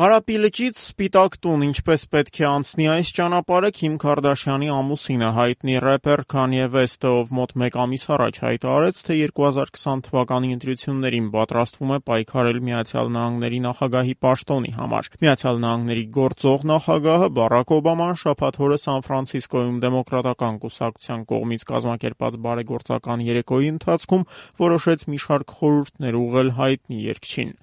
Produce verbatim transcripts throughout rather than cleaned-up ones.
Կարապի լճից սպիտակ տուն ինչպես պետք է անցնի այս ճանապարհը Քիմ Քարդաշյանի ամուսինը հայտնի рэպեր Քանյե Վեսթը, ով մոտ մեկ ամիս առաջ հայտարարեց, թե երկու հազար քսան թվականի ընտրություններին պատրաստվում է պայքարել Միացյալ Նահանգների նախագահի պաշտոնի համար։ Միացյալ Նահանգների գործող նախագահը Բարաք Օբաման շաբաթ օրը Սան Ֆրանցիսկոյում դեմոկրատական կուսակցության կողմից կազմակերպած բարեգործական երեկոյի ընթացքում որոշեց մի շարք խորհուրդներ ուղղել հայտնի երգչին։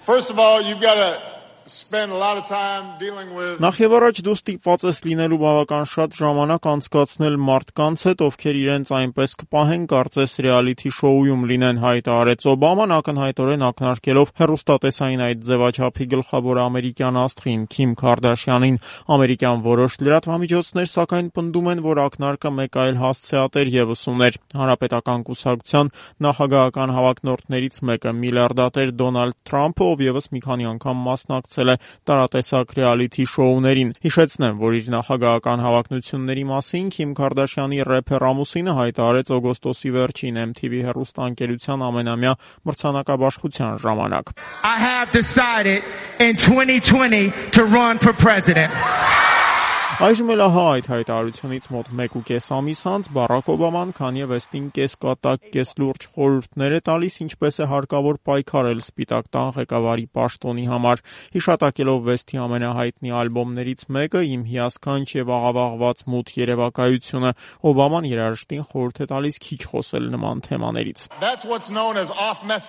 Նախ եւ առաջ դու ստիպված ես լինելու բավական շատ ժամանակ անցկացնել մարդկանց հետ, ովքեր իրենց այնպես կպահեն, կարծես ռեալիթի շոուում լինեն, հայտարարեց Օբաման, ակնհայտորեն ակնարկելով հեռուստատեսային այդ ձևաչափի գլխավոր ամերիկյան աստղին Քիմ Քարդաշյանին։ Ամերիկյան որոշ լրատվամիջոցներ սակայն պնդում են, որ ակնարկը մեկ այլ հասցեատեր ևս ուներ։ Հանրապետական կուսակցության նախագահական հավակնորդներից մեկը միլիարդատեր Դոնալդ Թրամփը, ով ևս մի քանի անգամ մասնակցել է տարատեսակ ռեալիթի շոուներին։ Հիշեցնեմ, որ իր նախագահական հավակնությունների մասին Քիմ Քարդաշյանի рэպեր ամուսինը հայտարարեց օգոստոսի վերջին Էմ Թի Վի հեռուստաընկերության ամենամյա մրցանակաբաշխության ժամանակ. I have decided in twenty twenty to run for president. Այժմ էլ ահա այդ հայտարարությունից մոտ մեկ ու կես ամիս անց Բարաք Օբաման Քանյե Վեսթին կես կատակ, կես լուրջ խորհուրդներ է տալիս, ինչպես է հարկավոր պայքարել Սպիտակ տան ղեկավարի պաշտոնի համար։ Հիշատակելով Վեսթի ամենահայտնի ալբոմներից մեկը «Իմ հիասքանչ եւ աղավաղված մութ երևակայությունը», Օբաման երաժշտին խորհուրդ է տալիս քիչ խոսել նման թեմաներից։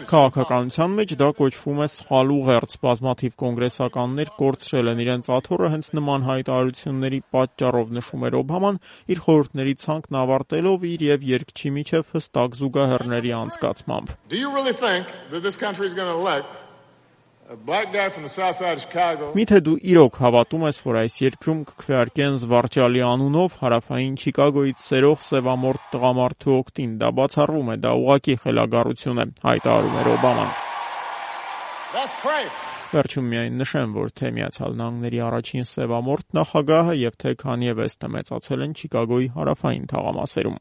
Քաղաքականության մեջ դա կոչվում է սխալ ուղերձ։ Բազմաթիվ կոնգրեսականներ կորցրել են իրենց աթոռը հենց նման հայտարարությունների պատճառով, նշում էր Օբաման, իր խորհուրդների ցանկն ավարտելով իր եւ երգչի միջև հստակ զուգահեռների անցկացմամբ։ Միթե դու իրոք հավատում ես, որ այս երկրում կքվեարկեն զվարճալի անունով հարավային Չիկագոյից սերող սևամորթ տղամարդու օգտին։ Դա բացառվում է, դա ուղղակի խելագարություն է, հայտարարում էր Օբաման։ Վերջում միայն նշեմ, որ թե Միացյալ Նահանգների առաջին սևամորթ նախագահը եւ թե Քանյե Վեսթը մեծացել են Չիկագոյի հարավային թաղամասերում։